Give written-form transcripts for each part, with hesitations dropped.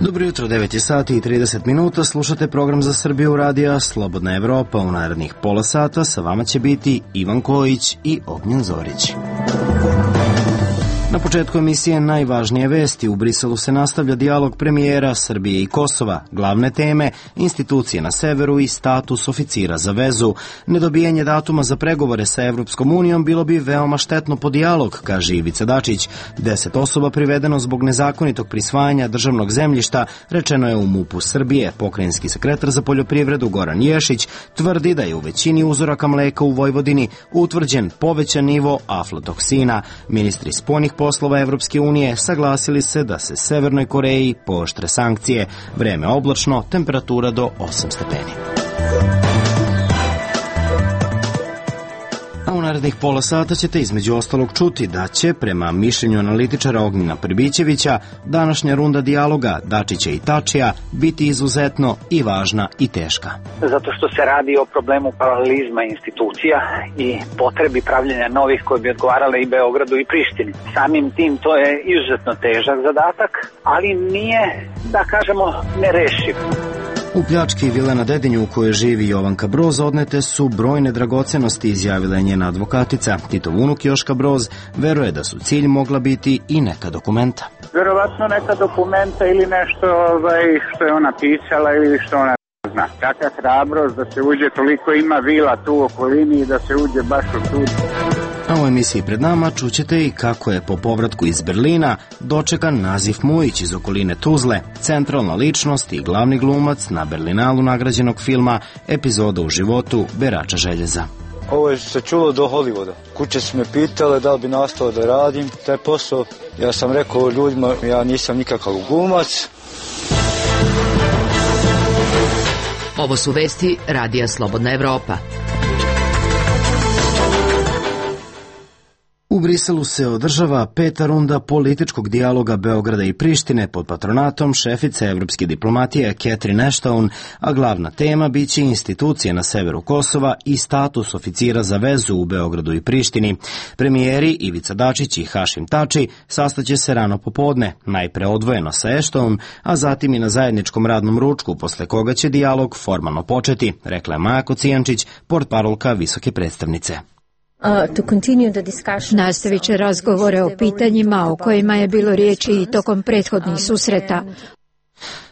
Dobro jutro, 9 je sati i 30 minuta, slušate program za Srbiju radija Slobodna Evropa. U narednih pola sata sa vama će biti Ivan Kojić i Ognjen Zorić. Na početku emisije najvažnije vesti. U Briselu se nastavlja dijalog premijera Srbije i Kosova. Glavne teme, institucije na severu i status oficira za vezu. Nedobijanje datuma za pregovore sa Evropskom unijom bilo bi veoma štetno po dijalog, kaže Ivica Dačić. 10 osoba privedeno zbog nezakonitog prisvajanja državnog zemljišta, rečeno je u MUP-u Srbije. Pokrajinski sekretar za poljoprivredu Goran Ješić tvrdi da je u većini uzoraka mleka u Vojvodini utvrđen povećan nivo aflatoksina. Ministri spoljnih poslova Evropske unije saglasili se da se Severnoj Koreji pooštre sankcije. Vreme oblačno, temperatura do 8 stepeni. A u narednih pola sata ćete između ostalog čuti da će, prema mišljenju analitičara Ognjena Pribićevića, današnja runda dijaloga Dačića i Tačija biti izuzetno i važna i teška. Zato što se radi o problemu paralelizma institucija i potrebi pravljenja novih koje bi odgovarale i Beogradu i Prištini. Samim tim to je izuzetno težak zadatak, ali nije, da kažemo, nerešiv. U pljački vile na Dedinju u kojoj živi Jovanka Broz odnete su brojne dragocenosti, izjavila je njena advokatica. Titov unuk Joška Broz veruje da su cilj mogla biti i neka dokumenta. Verovatno neka dokumenta ili nešto što je ona pisala ili što ona zna. Kakva hrabrost da se uđe, toliko ima vila tu u okolini i da se uđe baš u tu. A u emisiji pred nama čućete i kako je po povratku iz Berlina dočekan Nazif Mujić iz okoline Tuzle, centralna ličnost i glavni glumac na Berlinalu nagrađenog filma Epizoda u životu berača željeza. Ovo je se čulo do Hollywooda. Kuće su me pitale da li bi nastao da radim taj posao. Ja sam rekao ljudima, ja nisam nikakav glumac. Ovo su vesti Radija Slobodna Evropa. U Briselu se održava 5. runda političkog dijaloga Beograda i Prištine pod patronatom šefice evropske diplomatije Catherine Ashton, a glavna tema biće institucije na severu Kosova i status oficira za vezu u Beogradu i Prištini. Premijeri Ivica Dačić i Hašim Tači sastaće se rano popodne, najpre odvojeno sa Ashton, a zatim i na zajedničkom radnom ručku, posle koga će dijalog formalno početi, rekla je Maja Kocijančić, portparolka visoke predstavnice. Nastavit će razgovore o pitanjima o kojima je bilo riječi i tokom prethodnih susreta.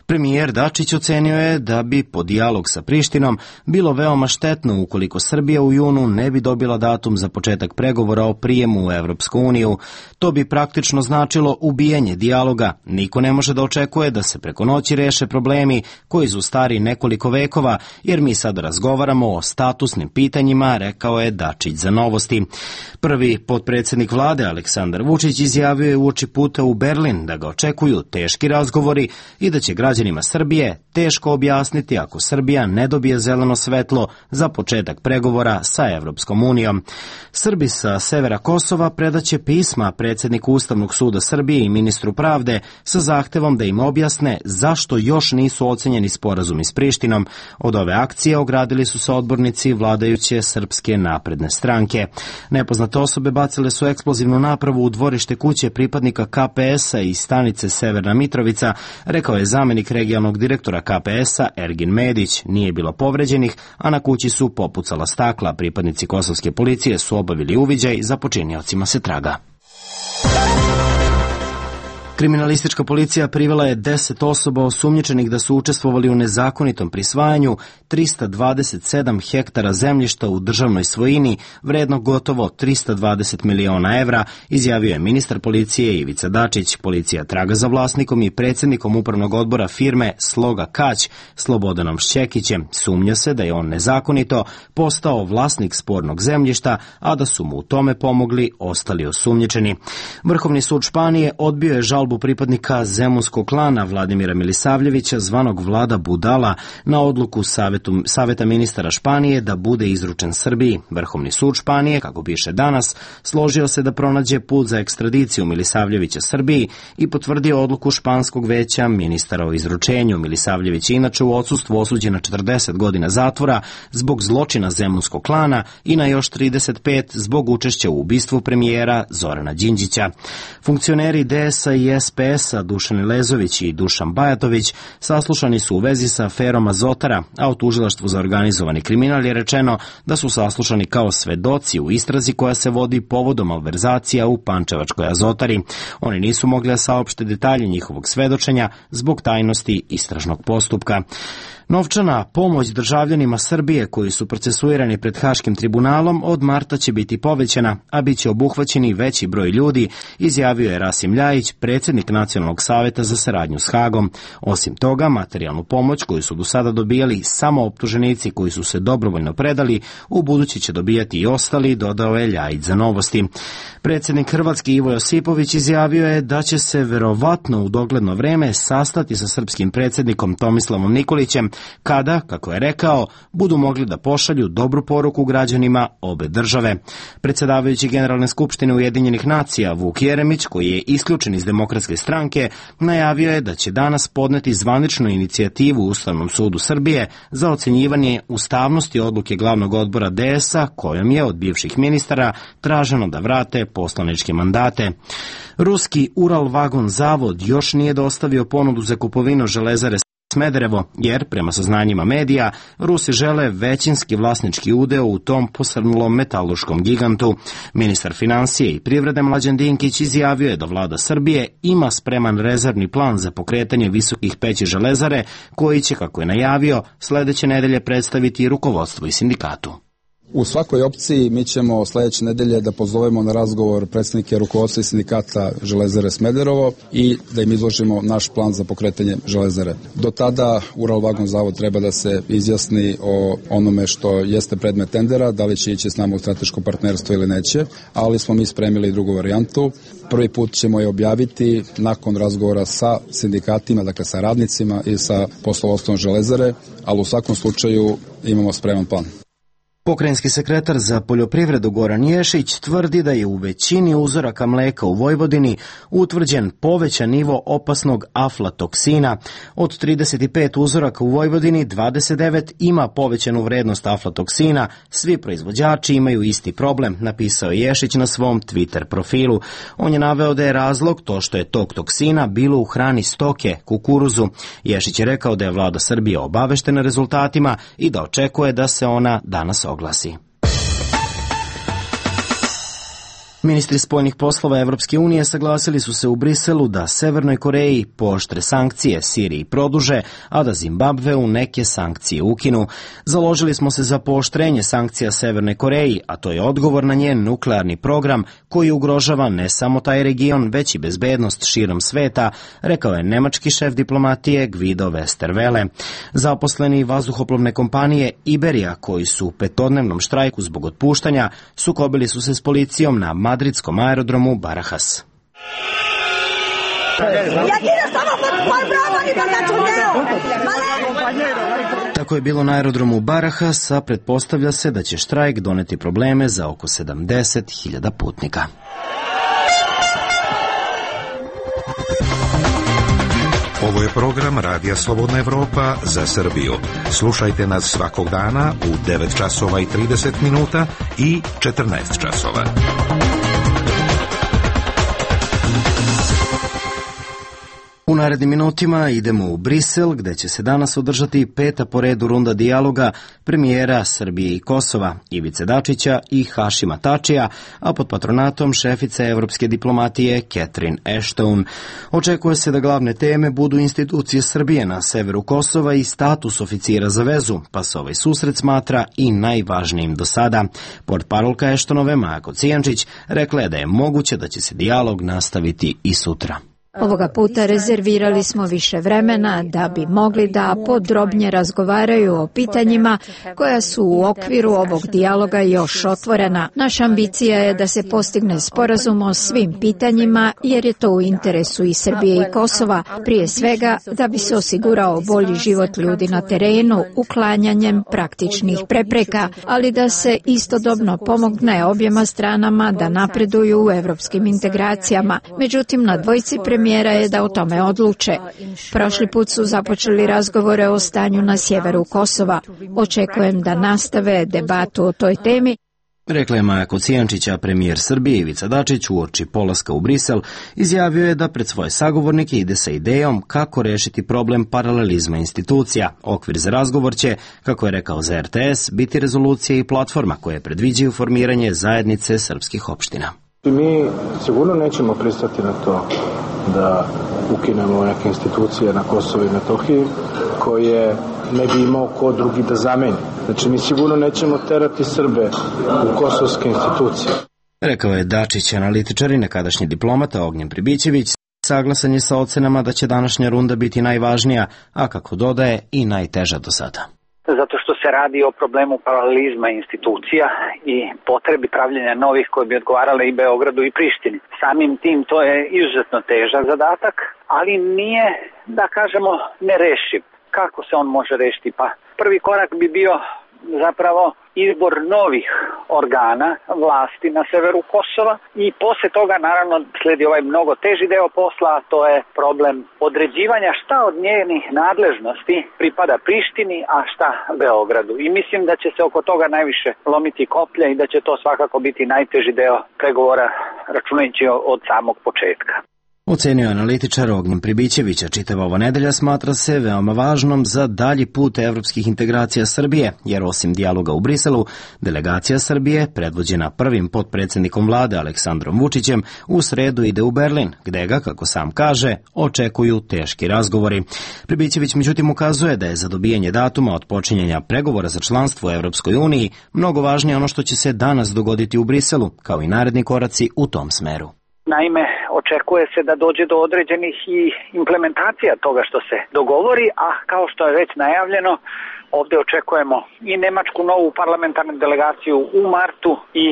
Premijer Dačić ocenio je da bi po dijalog sa Prištinom bilo veoma štetno ukoliko Srbija u junu ne bi dobila datum za početak pregovora o prijemu u Evropsku uniju. To bi praktično značilo ubijanje dijaloga. Niko ne može da očekuje da se preko noći reše problemi koji su stari nekoliko vekova, jer mi sad razgovaramo o statusnim pitanjima, rekao je Dačić za Novosti. Prvi potpredsjednik vlade Aleksandar Vučić izjavio je uoči puta u Berlin da ga očekuju teški razgovori i da će građanima Srbije teško objasniti ako Srbija ne dobije zeleno svetlo za početak pregovora sa Evropskom unijom. Srbi sa severa Kosova predaće pisma predsjedniku Ustavnog suda Srbije i ministru pravde sa zahtevom da im objasne zašto još nisu ocenjeni sporazumi s Prištinom. Od ove akcije ogradili su se odbornici vladajuće Srpske napredne stranke. Nepoznate osobe bacile su eksplozivnu napravu u dvorište kuće pripadnika KPS-a iz stanice Severna Mitrovica, rekao je zamenik regionalnog direktora KPS-a Ergin Medić. Nije bilo povređenih, a na kući su popucala stakla. Pripadnici kosovske policije su obavili uviđaj, za počiniocima se traga. Kriminalistička policija privela je 10 osoba osumnjičenih da su učestvovali u nezakonitom prisvajanju 327 hektara zemljišta u državnoj svojini, vredno gotovo 320 miliona evra, izjavio je ministar policije Ivica Dačić. Policija traga za vlasnikom i predsjednikom upravnog odbora firme Sloga Kać, Slobodanom Šćekićem. Sumnja se da je on nezakonito postao vlasnik spornog zemljišta, a da su mu u tome pomogli ostali osumnjičeni. Vrhovni sud Španije odbio je žalbu pripadnika zemunskog klana Vladimira Milisavljevića, zvanog Vlada Budala, na odluku Saveta ministara Španije da bude izručen Srbiji. Vrhovni sud Španije, kako piše danas, složio se da pronađe put za ekstradiciju Milisavljevića Srbiji i potvrdio odluku španskog veća ministara o izručenju. Milisavljević je inače u odsustvu osuđen na 40 godina zatvora zbog zločina zemunskog klana i na još 35 zbog učešća u ubistvu premijera Zorana Đinđića. Funkcioneri DS-a i SPS-a Dušan Elezović i Dušan Bajatović saslušani su u vezi sa aferom Azotara, a u tužilaštvu za organizovani kriminal je rečeno da su saslušani kao svedoci u istrazi koja se vodi povodom malverzacija u pančevačkoj Azotari. Oni nisu mogli da saopšte detalje njihovog svedočenja zbog tajnosti istražnog postupka. Novčana pomoć državljanima Srbije koji su procesuirani pred Haškim tribunalom od marta će biti povećana, a bit će obuhvaćeni veći broj ljudi, izjavio je Rasim Ljajić, predsjednik Nacionalnog saveta za saradnju s Hagom. Osim toga, materijalnu pomoć koju su do sada dobijali samo optuženici koji su se dobrovoljno predali, u budući će dobijati i ostali, dodao je Ljajić za Novosti. Predsjednik Hrvatske Ivo Josipović izjavio je da će se verovatno u dogledno vreme sastati sa srpskim predsjednikom Tomislavom Nikolićem, kada, kako je rekao, budu mogli da pošalju dobru poruku građanima obe države. Predsjedavajući Generalne skupštine Ujedinjenih nacija Vuk Jeremić, koji je isključen iz Demokratske stranke, najavio je da će danas podneti zvaničnu inicijativu u Ustavnom sudu Srbije za ocenjivanje ustavnosti odluke glavnog odbora DS-a, kojom je od bivših ministara traženo da vrate poslaničke mandate. Ruski Uralvagon zavod još nije dostavio ponudu za kupovinu Železare Smederevo, jer, prema saznanjima medija, Rusi žele većinski vlasnički udeo u tom posrnulom metalurškom gigantu. Ministar financije i privrede Mlađan Dinkić izjavio je da vlada Srbije ima spreman rezervni plan za pokretanje visokih peći Železare, koji će, kako je najavio, sledeće nedelje predstaviti rukovodstvo i sindikatu. U svakoj opciji mi ćemo sledeće nedelje da pozovemo na razgovor predstavnike rukovodstva i sindikata Železare Smederevo i da im izložimo naš plan za pokretanje Železare. Do tada Uralvagon zavod treba da se izjasni o onome što jeste predmet tendera, da li će ići s nama u strateško partnerstvo ili neće, ali smo mi spremili drugu varijantu. Prvi put ćemo je objaviti nakon razgovora sa sindikatima, dakle sa radnicima i sa poslovodstvom Železare, ali u svakom slučaju imamo spreman plan. Pokrajinski sekretar za poljoprivredu Goran Ješić tvrdi da je u većini uzoraka mleka u Vojvodini utvrđen povećan nivo opasnog aflatoksina. Od 35 uzoraka u Vojvodini, 29 ima povećanu vrednost aflatoksina. Svi proizvođači imaju isti problem, napisao je Ješić na svom Twitter profilu. On je naveo da je razlog to što je tog toksina bilo u hrani stoke, kukuruzu. Ješić je rekao da je vlada Srbije obaveštena rezultatima i da očekuje da se ona danas oglasi. Ministri spoljnih poslova Evropske unije saglasili su se u Briselu da Severnoj Koreji pooštre sankcije, Siriji produže, a da Zimbabveu neke sankcije ukinu. Založili smo se za pooštrenje sankcija Severnoj Koreji, a to je odgovor na njen nuklearni program koji ugrožava ne samo taj region, već i bezbednost širom sveta, rekao je nemački šef diplomatije Guido Westerwelle. Zaposleni vazduhoplovne kompanije Iberija, koji su u petodnevnom štrajku zbog otpuštanja, sukobili su se s policijom na madridskom aerodromu Barajas. Tako je bilo na aerodromu Barajas, a pretpostavlja se da će štrajk doneti probleme za oko 70.000 putnika. Ovo je program Radija Slobodna Evropa za Srbiju. Slušajte nas svakog dana u 9 časova i 30 minuta i 14 časova. U narednim minutima idemo u Brisel, gde će se danas održati 5. po redu runda dijaloga premijera Srbije i Kosova, Ivice Dačića i Hašima Tačija, a pod patronatom šefice evropske diplomatije Catherine Ashton. Očekuje se da glavne teme budu institucije Srbije na severu Kosova i status oficira za vezu, pa se ovaj susret smatra i najvažnijim do sada. Portparolka Ashtonove Maja Kocijančić rekla je da je moguće da će se dijalog nastaviti i sutra. Ovoga puta rezervirali smo više vremena da bi mogli da podrobnije razgovaraju o pitanjima koja su u okviru ovog dijaloga još otvorena. Naša ambicija je da se postigne sporazum o svim pitanjima jer je to u interesu i Srbije i Kosova, prije svega da bi se osigurao bolji život ljudi na terenu uklanjanjem praktičnih prepreka, ali da se istodobno pomogne objema stranama da napreduju u evropskim integracijama. Međutim, na dvojici premijera je da o tome odluče. Prošli put su započeli razgovore o stanju na sjeveru Kosova. Očekujem da nastave debatu o toj temi Rekla je Maja Kocijančića. Premijer Srbije Ivica Dačić uoči polaska u Brisel izjavio je da pred svoje sagovornike ide sa idejom kako rešiti problem paralelizma institucija. Okvir za razgovor će, kako je rekao za RTS, biti rezolucija i platforma koje predviđaju formiranje zajednice srpskih opština. Mi sigurno nećemo pristati na to da ukinemo neke institucije na Kosovu i Metohiji koje ne bi imao ko drugi da zameni. Znači, mi sigurno nećemo terati Srbe u kosovske institucije. Rekao je Dačić. Analitičar i nekadašnji diplomata Ognjen Pribićević saglasan je sa ocenama da će današnja runda biti najvažnija, a kako dodaje i najteža do sada. Zato što se radi o problemu paralelizma institucija i potrebi pravljenja novih koje bi odgovarale i Beogradu i Prištini. Samim tim to je izuzetno težak zadatak, ali nije, da kažemo, nerešiv. Kako se on može rešiti? Pa prvi korak bi bio zapravo izbor novih organa vlasti na severu Kosova i posle toga naravno sledi ovaj mnogo teži deo posla, a to je problem određivanja šta od njenih nadležnosti pripada Prištini, a šta Beogradu. I mislim da će se oko toga najviše lomiti koplja i da će to svakako biti najteži deo pregovora, računajući od samog početka. Ocenio analitičar Ognjen Pribićevića. Čitava ova nedelja smatra se veoma važnom za dalji put evropskih integracija Srbije, jer osim dijaloga u Briselu, delegacija Srbije, predvođena prvim potpredsjednikom vlade Aleksandrom Vučićem, u sredu ide u Berlin, gde ga, kako sam kaže, očekuju teški razgovori. Pribićević međutim ukazuje da je za dobijanje datuma od počinjenja pregovora za članstvo u Evropskoj uniji mnogo važnije ono što će se danas dogoditi u Briselu, kao i naredni koraci u tom smeru. Naime, očekuje se da dođe do određenih i implementacija toga što se dogovori, a kao što je već najavljeno, ovdje očekujemo i nemačku novu parlamentarnu delegaciju u martu i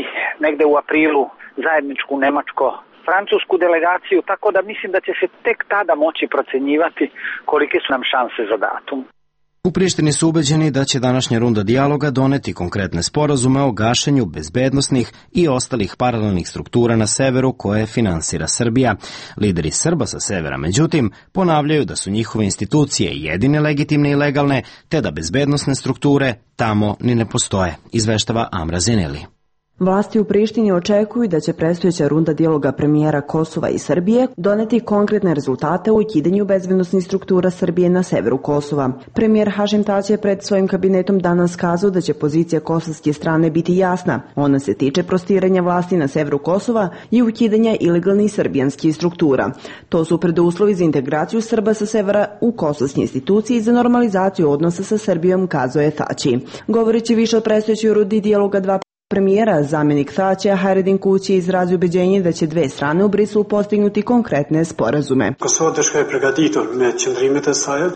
negde u aprilu zajedničku nemačko-francusku delegaciju, tako da mislim da će se tek tada moći procenjivati kolike su nam šanse za datum. U Prištini su ubeđeni da će današnja runda dijaloga doneti konkretne sporazume o gašenju bezbednosnih i ostalih paralelnih struktura na severu koje finansira Srbija. Lideri Srba sa severa, međutim, ponavljaju da su njihove institucije jedine legitimne i legalne, te da bezbednosne strukture tamo ni ne postoje, izveštava Amra Zeneli. Vlasti u Prištini očekuju da će predstojeća runda dijaloga premijera Kosova i Srbije doneti konkretne rezultate u ukidanju bezbednosnih struktura Srbije na severu Kosova. Premijer Hašim Tači je pred svojim kabinetom danas kazao da će pozicija kosovske strane biti jasna. Ona se tiče prostiranja vlasti na severu Kosova i ukidanja ilegalnih srbijanskih struktura. To su preduslovi za integraciju Srba sa severa u kosovske institucije i za normalizaciju odnosa sa Srbijom, kazao je Tači. Govoreći više o predstojećoj rundi dijaloga dva premijera, zamjenik Tačija Hajredin Kući je izrazio ubeđenje da će dve strane u Briselu postignuti konkretne sporazume.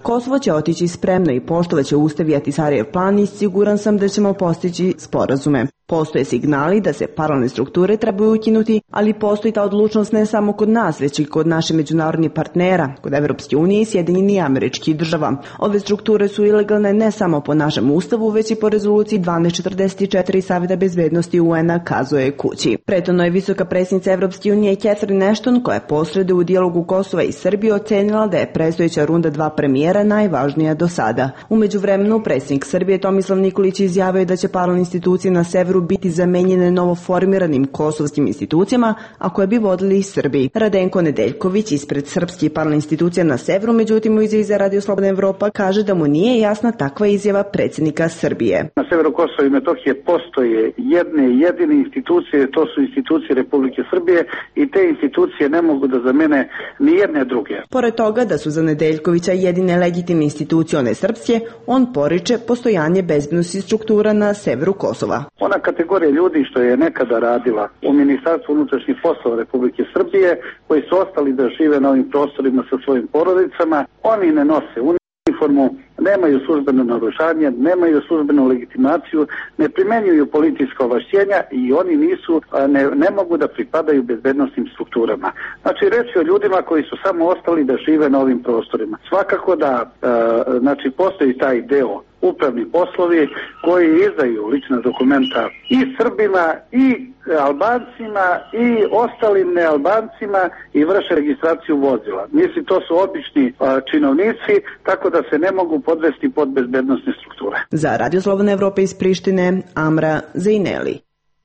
Kosovo će otići spremno i poštovaće ustav i Ahtisarijev plan i siguran sam da ćemo postići sporazume. Postoje signali da se paralelne strukture trebaju ukinuti, ali postoji ta odlučnost ne samo kod nas, već i kod naših međunarodnih partnera, kod Evropske unije i Sjedinjenih Američkih Država. Ove strukture su ilegalne ne samo po našem ustavu, već i po rezoluciji 1244 Saveta bezbednosti UN-a, kazuje Kući. Prethodno je visoka predsjednica Evropske unije Catherine Ashton, koja je posreduje u dijalogu Kosova i Srbije, ocenila da je predstojeća runda dva premijera najvažnija do sada. U međuvremenu predsjednik Srbije Tomislav Nikolić izjavio da će paralelne institucije na severu biti zamenjene novoformiranim kosovskim institucijama, a koje bi vodili Srbi. Radenko Nedeljković ispred srpskih paralelnih institucija na severu, međutim u izjavi za Radio Slobodna Evropa kaže da mu nije jasna takva izjava predsjednika Srbije. Na severu Kosova i Metohije postoje jedine institucije, to su institucije Republike Srbije i te institucije ne mogu da zamene ni jedne druge. Pored toga da su za Nedeljkovića jedine legitimne institucije one srpske, on poriče postojanje bezbednosnih struktura na severu Kosova. Ona kategorija ljudi što je nekada radila u Ministarstvu unutrašnjih poslova Republike Srbije, koji su ostali da žive na ovim prostorima sa svojim porodicama, oni ne nose uniformu, nemaju službeno naoružanje, nemaju službenu legitimaciju, ne primenjuju policijska ovlašćenja i oni ne mogu da pripadaju bezbednosnim strukturama. Znači, reč je o ljudima koji su samo ostali da žive na ovim prostorima. Svakako da postoji taj deo upravni poslovi koji izdaju lična dokumenta i Srbima i Albancima i ostalim nealbancima i vrše registraciju vozila. Mislim, to su obični činovnici, tako da se ne mogu podvesti pod bezbednosne strukture. Za Radio Slobodna Evropa iz Prištine, Amra Zejneli.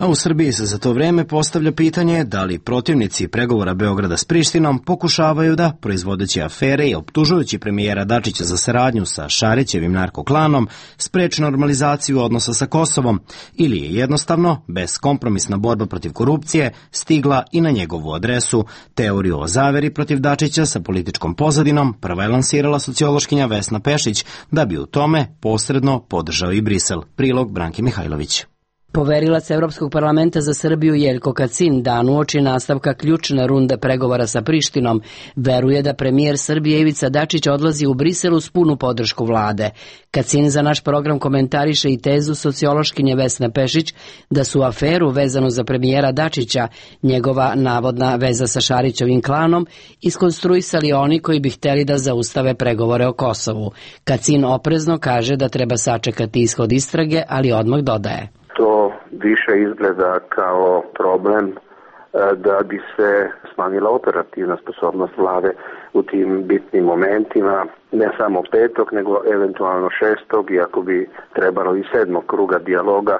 A u Srbiji se za to vreme postavlja pitanje da li protivnici pregovora Beograda s Prištinom pokušavaju da, proizvodeći afere i optužujući premijera Dačića za saradnju sa Šarićevim narkoklanom, spreče normalizaciju odnosa sa Kosovom, ili je jednostavno, beskompromisna borba protiv korupcije, stigla i na njegovu adresu. Teoriju o zaveri protiv Dačića sa političkom pozadinom prva je lansirala sociološkinja Vesna Pešić, da bi u tome posredno podržao i Brisel. Prilog Branke Mihajlović. Poverilac Evropskog parlamenta za Srbiju Jeljko Kacin dan uoči nastavka ključne runde pregovora sa Prištinom veruje da premijer Srbije Ivica Dačić odlazi u Brisel uz punu podršku vlade. Kacin za naš program komentariše i tezu sociološkinje Vesne Pešić da su aferu vezanu za premijera Dačića, njegova navodna veza sa Šarićevim klanom, iskonstruisali oni koji bi hteli da zaustave pregovore o Kosovu. Kacin oprezno kaže da treba sačekati ishod istrage, ali odmah dodaje: to više izgleda kao problem da bi se smanjila operativna sposobnost vlade u tim bitnim momentima, ne samo 5. nego eventualno 6. iako bi trebalo i 7. kruga dijaloga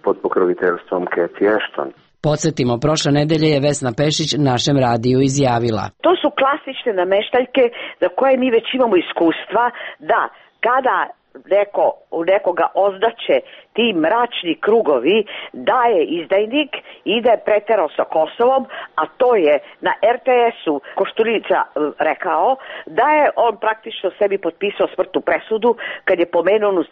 pod pokroviteljstvom Cathy Ashton. Podsjetimo, prošle nedelje je Vesna Pešić našem radiju izjavila: to su klasične nameštaljke za koje mi već imamo iskustva da kada nekoga ozdaće ti mračni krugovi da je izdajnik i da je preterao sa Kosovom, a to je na RTS-u Koštunica rekao da je on praktično sebi potpisao smrtnu presudu kad je pomenuo onu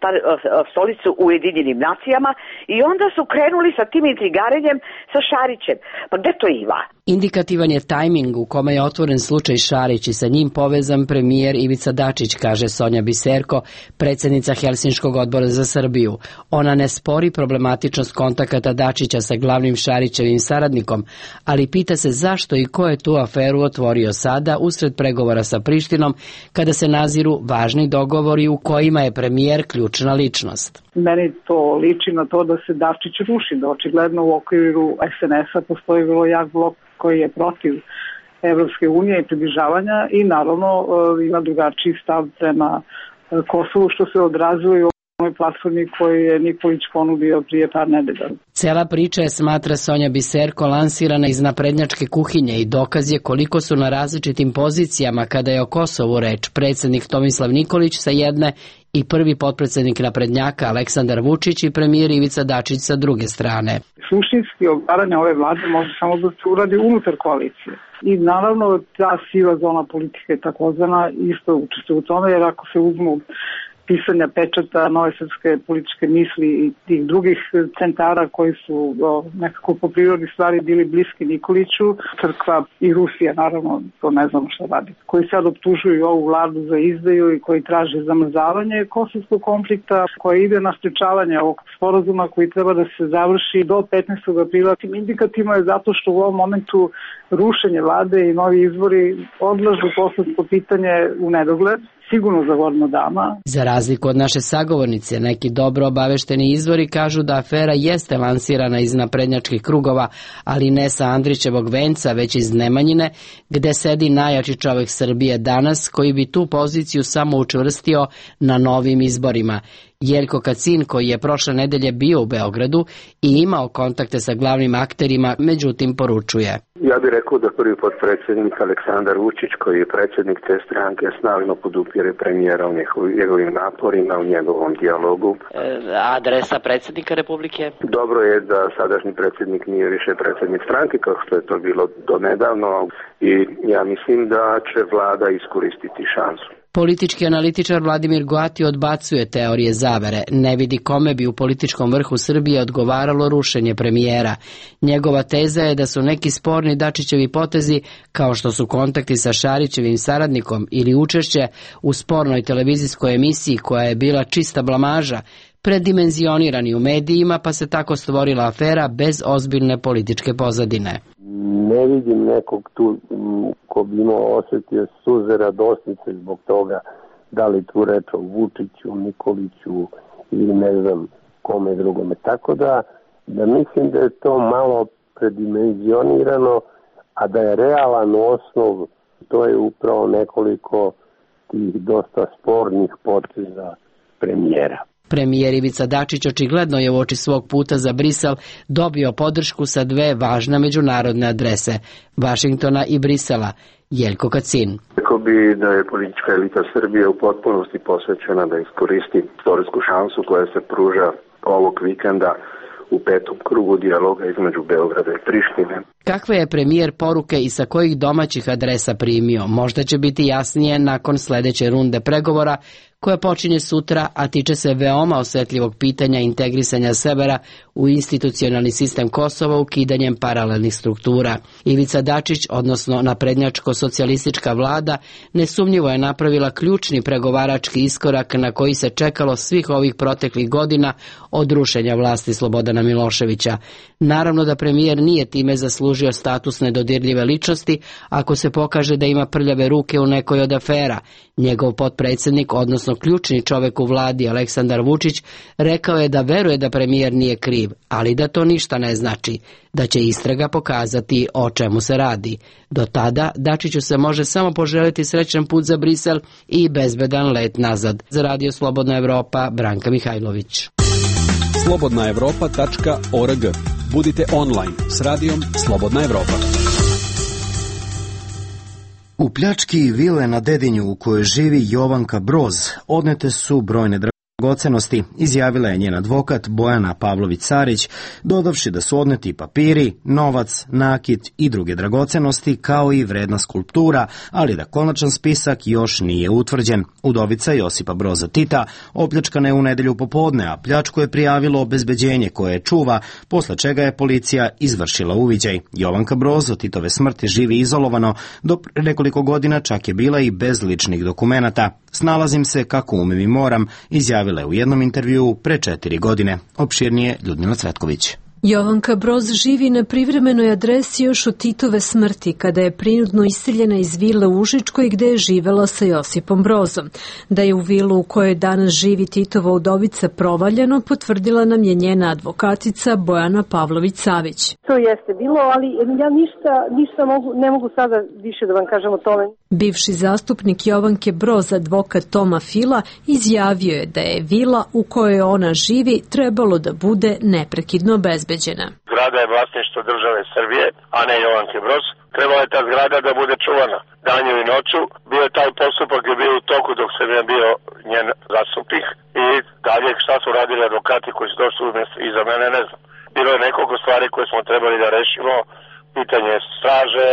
stolicu u Ujedinjenim nacijama i onda su krenuli sa tim intrigarenjem sa Šarićem. Pa gde to ima? Indikativan je tajming u kome je otvoren slučaj Šarić i sa njim povezan premijer Ivica Dačić, kaže Sonja Biserko, predsjednica Helsinškog odbora za Srbiju. Ona ne spori problematičnost kontakata Dačića sa glavnim Šarićevim saradnikom, ali pita se zašto i ko je tu aferu otvorio sada usred pregovora sa Prištinom kada se naziru važni dogovori u kojima je premijer ključna ličnost. Meni to liči na to da se Dačić ruši, da očigledno u okviru SNS-a postoji vrlo jak blok koji je protiv Evropske unije i približavanja i naravno ima drugačiji stav prema Kosovu, što se odrazuje u onoj platformi koju je Nikolić ponudio prije par nedelja. Cela priča je, smatra Sonja Biserko, lansirana iz naprednjačke kuhinje i dokaz je koliko su na različitim pozicijama kada je o Kosovu reč predsjednik Tomislav Nikolić sa jedne i prvi potpredsjednik naprednjaka Aleksandar Vučić i premijer Ivica Dačić sa druge strane. Suštinski odgovaranje ove vlade može samo da se uradi unutar koalicije. I naravno ta siva zona politike takozvana isto učestvuje u tome, jer ako se uzmu pisanja pečata Nove srpske političke misli i tih drugih centara koji su nekako po prirodi stvari bili bliski Nikoliću, crkva i Rusija, naravno, to ne znamo šta radi, koji sad optužuju ovu vladu za izdaju i koji traže zamrzavanje kosovskog konflikta, koji ide na sprečavanje ovog sporazuma koji treba da se završi do 15. aprila. Indikativno je zato što u ovom momentu rušenje vlade i novi izbori odlažu kosovsko pitanje u nedogled, sigurno za godinu dana. Za razliku od naše sagovornice, neki dobro obavešteni izvori kažu da afera jeste lansirana iz naprednjačkih krugova, ali ne sa Andrićevog venca, već iz Nemanjine, gde sedi najjači čovek Srbije danas, koji bi tu poziciju samo učvrstio na novim izborima. Jeljko Kacin, koji je prošle nedelje bio u Beogradu i imao kontakte sa glavnim akterima, međutim poručuje: ja bih rekao da prvi potpredsjednik Aleksandar Vučić, koji je predsjednik te stranke, snažno podupire premijera u njegovim naporima, u njegovom dijalogu. Adresa predsjednika Republike? Dobro je da sadašnji predsjednik nije više predsjednik stranke, kao što je to bilo do nedavno, i ja mislim da će vlada iskoristiti šansu. Politički analitičar Vladimir Goati odbacuje teorije zavere, ne vidi kome bi u političkom vrhu Srbije odgovaralo rušenje premijera. Njegova teza je da su neki sporni Dačićevi potezi, kao što su kontakti sa Šarićevim saradnikom ili učešće u spornoj televizijskoj emisiji koja je bila čista blamaža, predimenzionirani u medijima, pa se tako stvorila afera bez ozbiljne političke pozadine. Ne vidim nekog tu ko bi imao osjetio suze radosnice zbog toga, da li tu reč o Vučiću, Nikoliću ili ne znam kome drugome. Tako da mislim da je to malo predimenzionirano, a da je realan osnov, to je upravo nekoliko tih dosta spornih poteza premijera. Premijer Ivica Dačić očigledno je uoči svog puta za Brisel dobio podršku sa dve važne međunarodne adrese, Vašingtona i Brisela. Jeljko Kacin. Rekao bi da je politička elita Srbije u potpunosti posvećena da iskoristi istorijsku šansu koja se pruža ovog vikenda u petom krugu dijaloga između Beograda i Prištine. Kakve je premijer poruke i sa kojih domaćih adresa primio? Možda će biti jasnije nakon sledeće runde pregovora koja počinje sutra, a tiče se veoma osetljivog pitanja integrisanja severa u institucionalni sistem Kosova ukidanjem paralelnih struktura. Ivica Dačić, odnosno naprednjačko-socijalistička vlada, nesumnjivo je napravila ključni pregovarački iskorak na koji se čekalo svih ovih proteklih godina od rušenja vlasti Slobodana Miloševića. Naravno da premijer nije time zaslužio status nedodirljive ličnosti ako se pokaže da ima prljave ruke u nekoj od afera. Njegov potpredsjednik, odnosno ključni čovek u vladi Aleksandar Vučić, rekao je da veruje da premijer nije kriv, ali da to ništa ne znači, da će istraga pokazati o čemu se radi. Do tada Dačiću se može samo poželiti srećan put za Brisel i bezbedan let nazad. Za Radio Slobodna Evropa, Branka Mihajlović. slobodnaevropa.org. Budite online s radijom Slobodna Evropa. U pljački vile na Dedinju u kojoj živi Jovanka Broz odnete su brojne dragocenosti, izjavila je njen advokat Bojana Pavlović-Carić, dodavši da su odneti papiri, novac, nakit i druge dragocenosti, kao i vredna skulptura, ali da konačan spisak još nije utvrđen. Udovica Josipa Broza Tita opljačkana je u nedelju popodne, a pljačku je prijavilo obezbeđenje koje je čuva, posle čega je policija izvršila uviđaj. Jovanka Broz od Titove smrti živi izolovano, do nekoliko godina čak je bila i bez ličnih dokumenata. Snalazim se kako umem i moram, izjavila je u jednom intervjuu pre 4 godine. Opširnije Ljudmila Cvetković. Jovanka Broz živi na privremenoj adresi još od Titove smrti, kada je prinudno iseljena iz vile u Užičkoj gde je živela sa Josipom Brozom. Da je u vilu u kojoj danas živi Titova udovica provaljeno, potvrdila nam je njena advokatica Bojana Pavlović-Savić. To jeste bilo, ali ja ništa ne mogu sada više da vam kažem o tome. Bivši zastupnik Jovanke Broz, advokat Toma Fila, izjavio je da je vila u kojoj ona živi trebalo da bude neprekidno bezbeđena. Zgrada je vlasništvo države Srbije, a ne Jovanke Broz. Trebala je ta zgrada da bude čuvana danju i noću. Bio je taj postupak je bio u toku dok sam ja bio njen zastupnik i dalje šta su radili advokati koji su došli iza mene, ne znam. Bilo je nekoliko stvari koje smo trebali da rešimo, pitanje straže,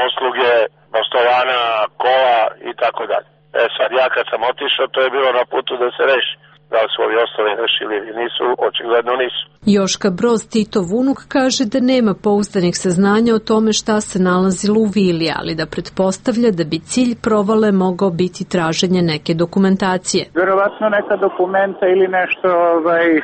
usluge, postovana, kola i tako dalje. Sad ja kad sam otišao, to je bilo na putu da se reši. Da li su ovi ostali rešili ili nisu, očigledno nisu. Joška Broz, Titov unuk, kaže da nema pouzdanih saznanja o tome šta se nalazilo u vili, ali da pretpostavlja da bi cilj provale mogao biti traženje neke dokumentacije. Verovatno neka dokumenta ili nešto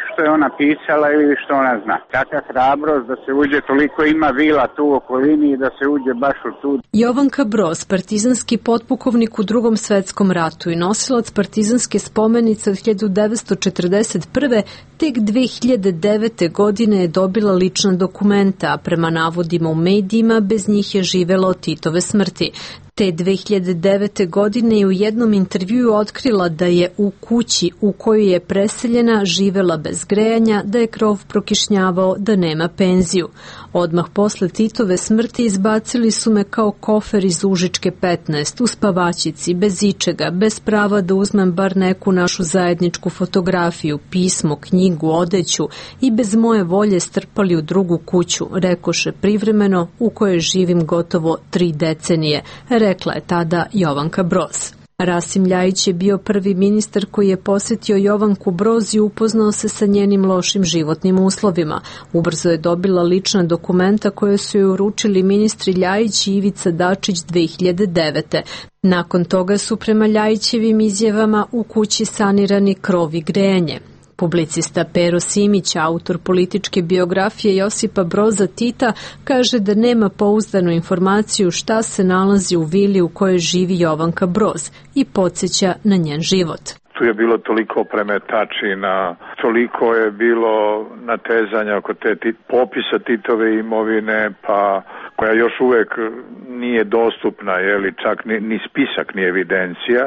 što je ona pisala ili što ona zna. Kakva hrabrost da se uđe, toliko ima vila tu u okolini i da se uđe baš u tu. Jovanka Broz, partizanski potpukovnik u Drugom svetskom ratu i nosilac partizanske spomenice od 1941. tek 2009. godine je dobila lična dokumenta, a prema navodima u medijima bez njih je živela od Titove smrti. Te 2009. godine je u jednom intervjuu otkrila da je u kući u kojoj je preseljena živela bez grejanja, da je krov prokišnjavao, da nema penziju. Odmah posle Titove smrti izbacili su me kao kofer iz Užičke 15, u spavačici, bez ičega, bez prava da uzmem bar neku našu zajedničku fotografiju, pismo, knjigu, odeću i bez moje volje strpali u drugu kuću, rekoše privremeno, u kojoj živim gotovo 3 decenije, rekla je tada Jovanka Broz. Rasim Ljajić je bio prvi ministar koji je posjetio Jovanku Broz i upoznao se sa njenim lošim životnim uslovima. Ubrzo je dobila lična dokumenta koje su joj uručili ministri Ljajić i Ivica Dačić 2009. Nakon toga su prema Ljajićevim izjavama u kući sanirani krov i grejanje. Publicista Pero Simić, autor političke biografije Josipa Broza Tita, kaže da nema pouzdanu informaciju šta se nalazi u vili u kojoj živi Jovanka Broz i podsjeća na njen život. Tu je bilo toliko premetačina, toliko je bilo natezanja oko te popisa Titove imovine, pa koja još uvek nije dostupna, čak ni spisak, ni evidencija.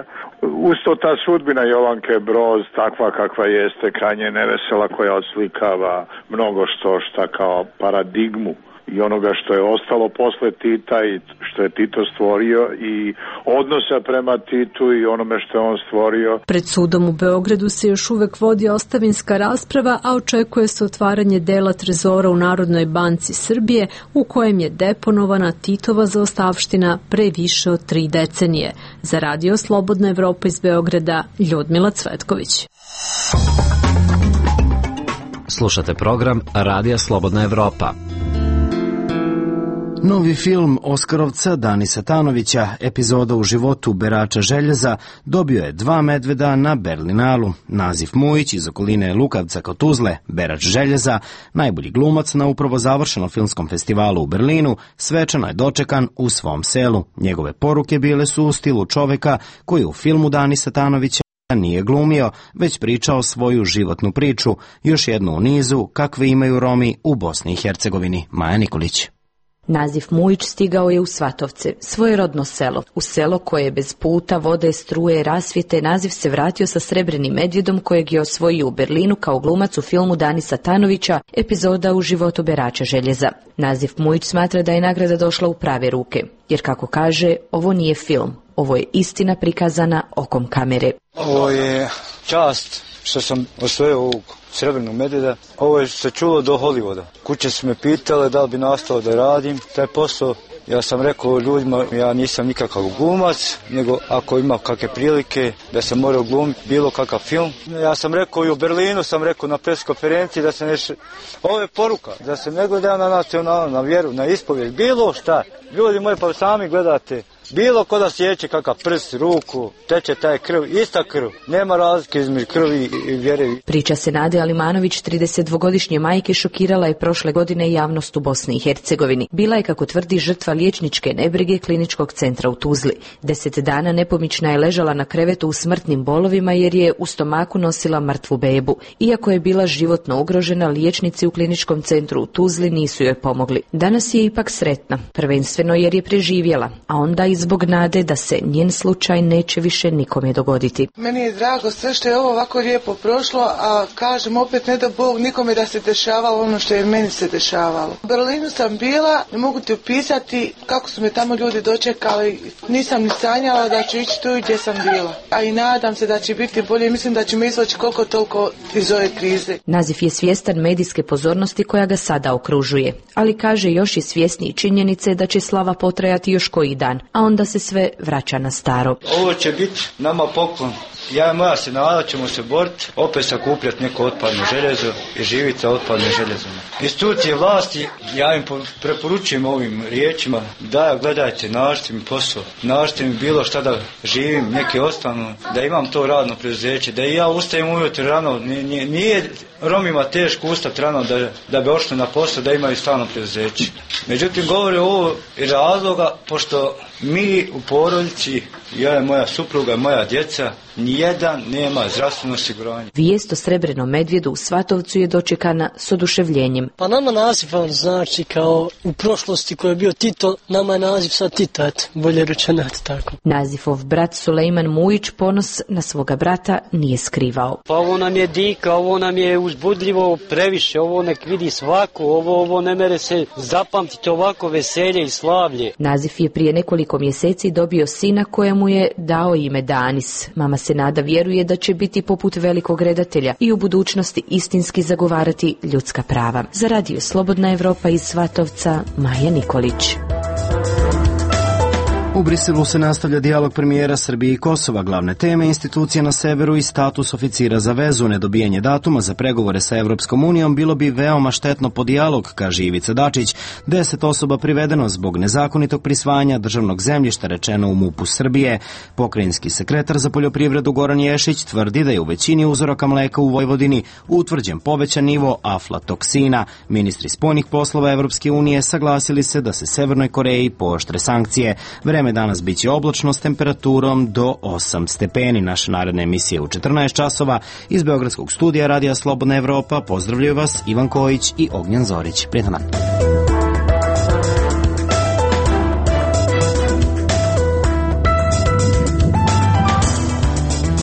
Usto ta sudbina Jovanke Broz, takva kakva jeste, krajnje nevesela, koja odslikava mnogo šta kao paradigmu i onoga što je ostalo posle Tita i što je Tito stvorio i odnosa prema Titu i onome što je on stvorio. Pred sudom u Beogradu se još uvek vodi ostavinska rasprava, a očekuje se otvaranje dela trezora u Narodnoj banci Srbije u kojem je deponovana Titova zaostavština pre više od 3 decenije. Za Radio Slobodna Evropa iz Beograda, Ljudmila Cvetković. Slušate program Radija Slobodna Evropa. Novi film Oskarovca Danisa Tanovića, epizoda u životu berača željeza, dobio je 2 medveda na Berlinalu. Nazif Mujić iz okoline Lukavca kod Tuzle, berač željeza, najbolji glumac na upravo završenom filmskom festivalu u Berlinu, svečano je dočekan u svom selu. Njegove poruke bile su u stilu čoveka koji u filmu Danisa Tanovića nije glumio, već pričao svoju životnu priču, još jednu u nizu kakve imaju Romi u Bosni i Hercegovini. Maja Nikolić. Nazif Mujić stigao je u Svatovce, svoje rodno selo. U selo koje je bez puta, vode, struje, rasvjete, Nazif se vratio sa srebrenim medvjedom kojeg je osvojio u Berlinu kao glumac u filmu Danisa Tanovića, epizoda u životu berača željeza. Nazif Mujić smatra da je nagrada došla u prave ruke, jer kako kaže, ovo nije film, ovo je istina prikazana okom kamere. Ovo je čast što sam osvojio ovog srebrnog medvjeda. Ovo je se čulo do Hollywooda. Kuće su me pitale da li bi nastavio da radim taj posao. Ja sam rekao ljudima, ja nisam nikakav glumac, nego ako ima kakve prilike da se mora glumiti bilo kakav film. Ja sam rekao i u Berlinu, sam rekao na pres konferenciji da se ovo je poruka, da se ne gleda na nacionalno, na vjeru, na ispovijed, bilo šta. Ljudi moji, pa sami gledate. Bilo ko da sjeće kakav prst, ruku, teče taj krv, ista krv. Nema razlike između krvi i vjere. Priča se Nade Alimanović, 32-godišnje majke, šokirala je prošle godine javnost u Bosni i Hercegovini. Bila je, kako tvrdi, žrtva liječničke nebrige kliničkog centra u Tuzli. 10 dana nepomična je ležala na krevetu u smrtnim bolovima jer je u stomaku nosila mrtvu bebu. Iako je bila životno ugrožena, liječnici u kliničkom centru u Tuzli nisu joj pomogli. Danas je ipak sretna, prvenstveno jer je preživjela, a onda i zbog nade da se njen slučaj neće više nikome dogoditi. Meni je drago sve što je ovo ovako lijepo prošlo, a kažem opet ne da Bog nikome da se dešavalo ono što je meni se dešavalo. U Berlinu sam bila, ne mogu ti opisati kako su me tamo ljudi dočekali, nisam ni sanjala da ću ići tu gdje sam bila. A i nadam se da će biti bolje, mislim da ćemo izvući koliko toliko iz ove krize. Nazif je svjestan medijske pozornosti koja ga sada okružuje, ali kaže još i svjesniji činjenice da će slava potrajati još koji dan, a onda se sve vraća na staro. Ovo će biti nama poklon. Ja i moja senada ćemo se boriti, opet sakupljati neko otpadno željezo i živjeti sa otpadnim željezom. Institucije vlasti, ja im preporučujem ovim riječima da gledajte, nađite mi posao, nađite mi bilo šta da živim, neke ostanu, da imam to radno preduzeće, da i ja ustajem ujutro rano, nije Romima teško ustati rano da bi ošli na posao, da imaju stalno preduzeće. Međutim, govori ovo iz razloga, pošto mi u porodici, ja i moja supruga i moja djeca, nijedan nema zdravstveno osiguranje. Vijest o srebrenom medvjedu u Svatovcu je dočekana s oduševljenjem. Pa nama naziv on znači kao u prošlosti koji je bio Tito, nama je naziv sad Tito, eto, bolje rečeno tako. Nazifov brat Sulejman Mujić ponos na svoga brata nije skrivao. Pa ovo nam je dika, ovo nam je uzbudljivo previše, ovo nek vidi svako, ovo ne mere se zapamtiti ovako veselje i slavlje. Nazif je prije nekoliko mjeseci dobio sina kojemu je dao ime Danis. Mama se nada vjeruje da će biti poput velikog redatelja i u budućnosti istinski zagovarati ljudska prava. Za Radio Slobodna Evropa iz Svatovca, Maja Nikolić. U Briselu se nastavlja dijalog premijera Srbije i Kosova. Glavne teme institucije na severu i status oficira za vezu. Nedobijanje datuma za pregovore sa Evropskom unijom bilo bi veoma štetno po dijalog, kaže Ivica Dačić. 10 osoba privedeno zbog nezakonitog prisvajanja državnog zemljišta, rečeno u MUP-u Srbije. Pokrajinski sekretar za poljoprivredu Goran Ješić tvrdi da je u većini uzoraka mleka u Vojvodini utvrđen povećan nivo aflatoksina. Ministri spoljnih poslova Evropske unije saglasili se da se Severnoj Koreji pooštre sankcije. Vreme danas biće oblačno s temperaturom do 8 stepeni. Naša naredna emisija u 14 časova. Iz Beogradskog studija Radija Slobodna Evropa pozdravljaju vas Ivan Kojić i Ognjen Zorić. Prijetan dan.